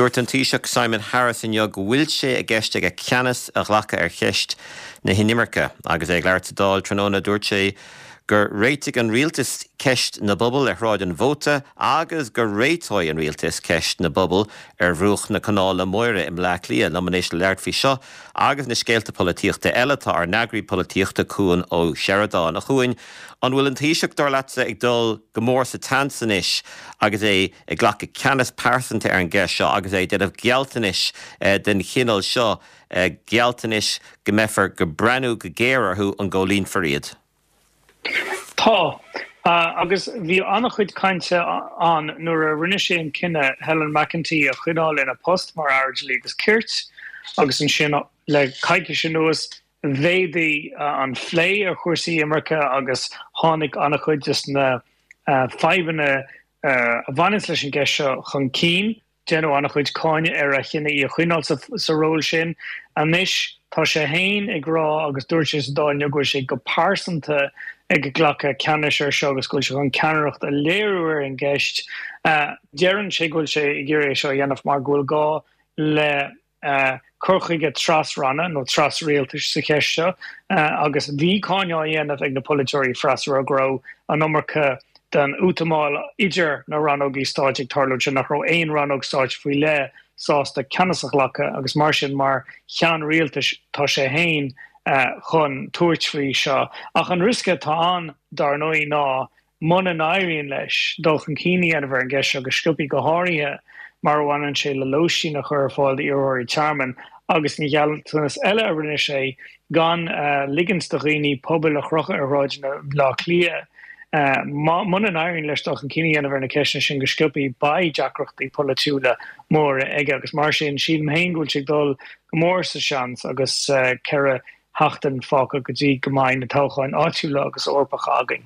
Dúirt an Taoiseach Simon Harris inniu go bhfuil sé i gceist aige ceannas a ghlacadh ar cheist na hinimirce. Agus é ag labhairt sa Dáil tráthnóna dúirt sé gur réitigh an rialtas ceist na bpuball ar Shráid an Mhóta agus go réiteoidh an rialtas ceist na bpuball ar bhruach na Canála Móire i mBleá Cliath. Liom anois le labhairt faoi seo agus na scéalta polaitíochta eile tá ár n-eagraí polaitíochta Cuan Ó Seireadáin. A Chuain, an bhfuil an Taoiseach, dar leatsa, ag dul go mór sa tseans anois agus é ag glacadh ceannas pearsanta ar an gceist seo agus é ag déanamh gealltanais den chineál seo, gealltanais go mbeifear ag breathnú go géar orthu an gcomhlíonfar iad? Tá. Agus bhí an-chuid cainte ann nuair a rinne sé an cinneadh Helen McEntee a choinneáil ina post mar Aire Dlí agus Cirt agus ansin le coicís anuas mhéadaigh an phlé ar chúrsaí imirce agus tháinig an-chuid de na fadhbanna a bhaineanns leis an gceist seo chun cinn. Deineadh an-chuid cáineadh ar a chinneadh í a choinneáil sa ról sin. Anois tá sé féin ag rá, agus dúirt sé sa Dáil inniu, go bhfuil sé go pearsanta ag glacadh ceannais air seo agus go bhfuil sé chun ceannaireacht a léiriú ar an gceist. Deireann sé go bhfuil sé ag iarraidh é seo a dhéanamh mar go bhfuil gá le cur chuige tras-ranna nó tras-rialtais sa cheist seo agus bhí cáineadh á dhéanamh ag na polaiteoirí freasúra go raibh an iomarca den útamáil idir na rannógaí stáit ag tarlú ansin, nach raibh aon rannóg stáit faoi leith sásta ceannas a ghlacadh agus mar sin mar cheann rialtais tá sé féin chun tabhairt faoi seo. Ach an riosca atá ann dar ndóigh ná Muna n-éiríonn leis dul chun cinn a dhéanamh ar an gceist seo go sciobthaí, go háirithe mar a bhaineann sé le lóistín a chur ar fáil d'iarrthóirí tearmainn agus an gealltanas eile a rinne sé gan ligint do dhaoine pubaill a chrochadh ar shráideanna Bhaile Átha Cliath, muna n-éiríonn leis dul chun cinn a dhéanamh ar na ceisteanna sin go sciobthaí, beidh deacrachtaí polaitiúla móra aige agus mar sin sílim féin go bhfuil sé ag dul go mór sa seans agus 4 sheachtain fágtha go dtí go mbeidh na toghcháin áitiúla agus Eorpacha againn.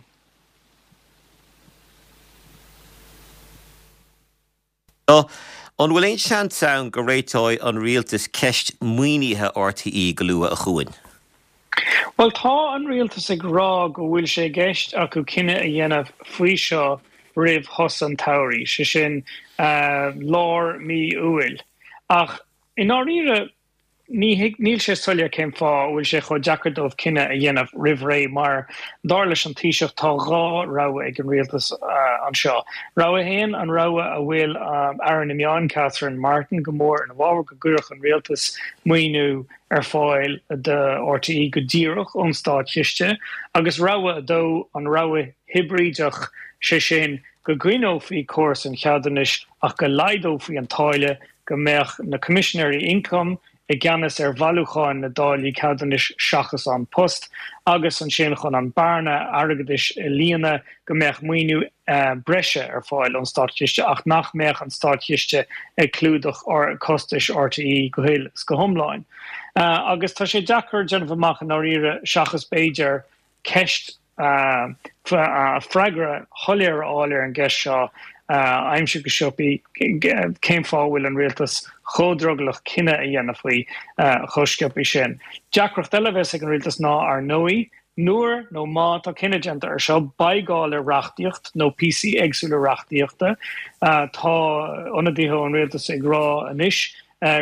An bhfuil aon seans ann go réiteoidh an rialtas ceist maoinithe RTÉ go luath, a Chuain? Bhuel, tá an rialtas ag rá go bhfuil sé i gceist acu cinneadh a dhéanamh faoi seo roimh shos an tsamhraidh, sé sin lár mí Iúil. Ach i ndáiríre, Ní thuig, níl sé soiléir cén fáth a bhfuil sé chomh deacair dóibh cinneadh a dhéanamh roimh ré mar, dar leis an Taoiseach, tá dhá rogha ag an rialtas anseo. Rogha a haon, an rogha a bhfuil Aire na Meán Catherine Martin go mór ina bhfabhar, go gcuirfeadh an rialtas maoiniú ar fáil do RTÉ go díreach ón státchiste, agus rogha a dó, an rogha hibrídeach, sé sin, go gcoinneofaí córas an cheadúnais ach go laghdófaí an táille go mbeadh na Coimisinéirí Ioncaim i gceannas ar bhailiúcháin na dtáillí ceadúnais seachas An Post, agus ansin chun an bearna airgeadais a líonadh, go mbeadh maoiniú breise ar fáil ón Státchiste ach nach mbeadh an Státchiste ag clúdach costais RTÉ go huile is go hiomlán. Agus tá sé deacair déanamh amach i ndáiríre seachas b'fhéidir ceist freagra shoiléir a fháil ar an gceist seo a aimsiú go sciobthaí, cén fáth a bhfuil an rialtas chomh drogallach cinneadh a dhéanamh faoi chomh sciobthaí sin. Deacracht eile a bheas ag an rialtas ná, ar ndóigh, nuair nó má tá cinneadh déanta air seo, beidh gá le reachtaíocht nó píosaí éagsúla reachtaíochta. Tá ionadaithe ón rialtas ag rá anois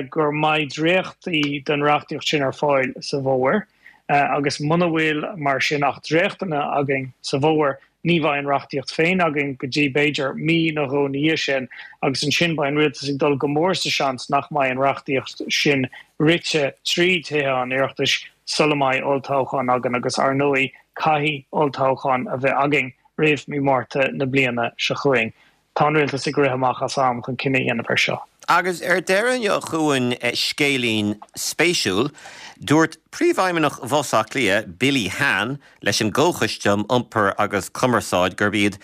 go mbeidh dréachtaí den reachtaíocht sin ar fáil sa bhfómhar. Agus muna bhfuil, mar sin, ach dréachtanna againn sa bhfómhar, ní bheidh an reachtaíocht féin againn go dtí, b'fhéidir, mí nó dhó ina dhiaidh sin, agus ansin beidh an rialtas ag dul go mór sa seans nach mbeidh an reachtaíocht sin rite trí Thithe an Oireachtais sula mbeidh olltoghchán againn, agus ar ndóigh, caithfidh olltoghchán a bheith againn roimh mí Márta na bliana seo chugainn. Tá an rialtas ag rith amach as am chun cinneadh a dhéanamh air seo. Agus ar deireadh inniu a Chuain, scéilín spéisiúil. Dúirt Príomhfheidhmeannach Bhus Átha Cliath, Billy Han, leis an gComhchoiste um Iompar agus Cumarsáid gurb iad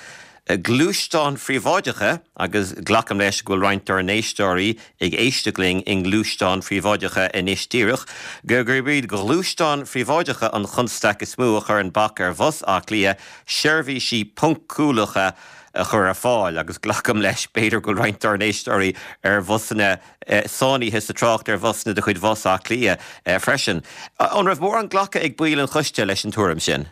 gluaisteáin phríobháideacha, agus glacaim leis go bhfuil roinnt dár n-éisteoirí ag éisteacht linn i ngluaisteáin phríobháideacha anois díreach, gurb iad gluaisteáin phríobháideacha an chonstaic is mó a chuireann bac ar Bhus Átha Cliath seirbhísí poncúlacha a chur ar fáil, agus glacaim leis, b'fhéidir, go bhfuil roinnt dár n-éisteoirí ar bhusanna sáinnithe sa trácht ar bhusanna de chuid Bhus Átha Cliath freisin. An raibh mórán glactha ag baill an choiste leis an tuairim sin?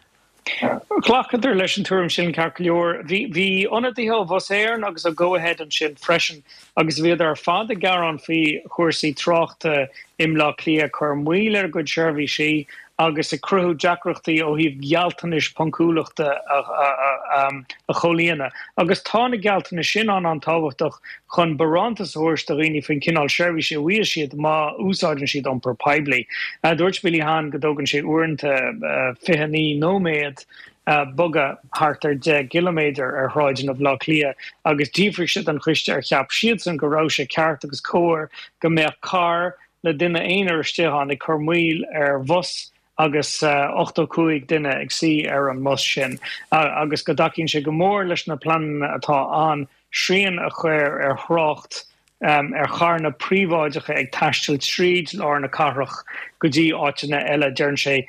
Ghlacadar leis an tuairim sin ceart go leor. Bhí ionadaithe ó Bhus Éireann agus ó Go-Ahead ansin freisin agus bhíodar ar fad ag gearán faoi chúrsaí tráchta i mBleá Cliath ag cur moill ar a gcuid seirbhísí agus ag cruthú deacrachtaí ó thaobh gealltanais poncúlachta a chomhlíonadh. Agus tá na gealltanais sin an-an-tábhachtach chun barántas a thabhairt do dhaoine faoin cineál seirbhíse a bhfaighidh siad má úsáideann siad iompar poiblí. Dúirt Billy Hann go dtógann sé uaireanta 29 nóiméad bogadh thart ar 10 gciliméadar ar shráideanna Bhaile Átha Cliath agus d'fhiafraigh sé den choiste ar cheap siadsan go raibh sé ceart agus cóir go mbeadh carr le duine aonair istigh ann ag cur moill ar bhus agus 85 duine ag suí ar an mbus sin agus go dtacaíonn sé go mór leis na pleananna atá ann srian a chur ar thrácht ar charranna príobháideacha ag taisteal tríd lár na cathrach go dtí áiteanna eile. Deireann sé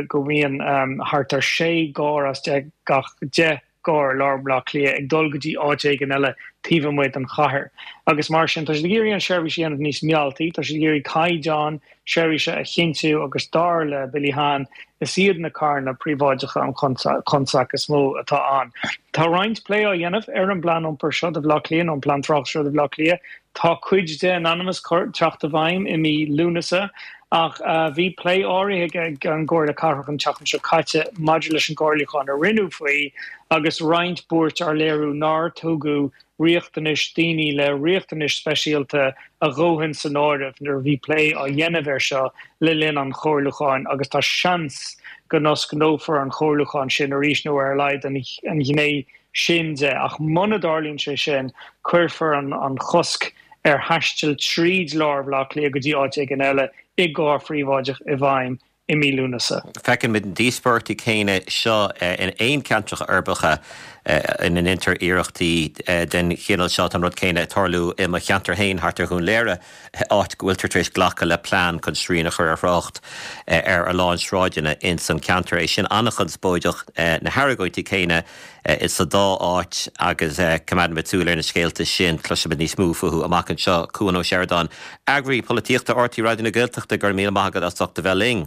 go mbíonn thart ar 6 gcarr as gach 10 gcarr i lár Bhaile Átha Cliath ag dul go dtí áit éigin eile taobh amuigh den chathair. Agus mar sin, tá siad ag iarraidh an seirbhís a dhéanamh níos mealltaí, tá siad ag iarraidh caighdeán seirbhíse a chinntiú agus dar le Billy Hann, is iad na carranna príobháideacha an chonstaic is mó atá ann. Tá roinnt plé á dhéanamh ar an bplean iompair seo do Bhaile Átha Cliath, nó an plean tráchta seo do Bhaile Átha Cliath. Tá cuid de in ainm is teacht i bhfeidhm i mí Lúnasa ach bhí plé áirithe ag an gComhairle Cathrach an tseachtain seo caite maidir leis an gcomhairliúchán a rinneadh faoi agus roinnt buairt á léiriú nár tugadh riachtanais daoine le riachtanais speisialta a dhóthain san áireamh nuair a bhí plé á dhéanamh air seo le linn an chomhairliúcháin agus tá seans go n-osclófar an comhairliúchán sin arís nó ar a laghad an ghné sin de. Ach muna dtarlaíonn sé sin, cuirfear an chosc ar thaisteal tríd lár Bhaile Átha Cliath go dtí áit éigin eile i gcarr phríobháideach i bhfeidhm i mí Lúnasa. Feiceann muid na díospóireachtaí céanna seo in aon ceantracha uirbeacha ina ndéantar iarrachtaí den chineál seo. Tá an rud céanna ag tarlú i mo cheantar féin thart ar Dhún Léire, áit go bhfuiltear tar éis glacadh le plean chun srian a chur ar thrácht ar a lán sráideanna ins an ceantar. É sin an-chonspóideach, na hargóintí céanna sa dá áit agus coimeádfaimid súil ar na scéalta sin. Cloisfimid níos mó fúthu amach anseo. Cuan Ó Seireadáin, Eagraí Polaitíochta RTÉ Raidió na Gaeltachta, go raibh míle maith agat as ucht a bheith linn.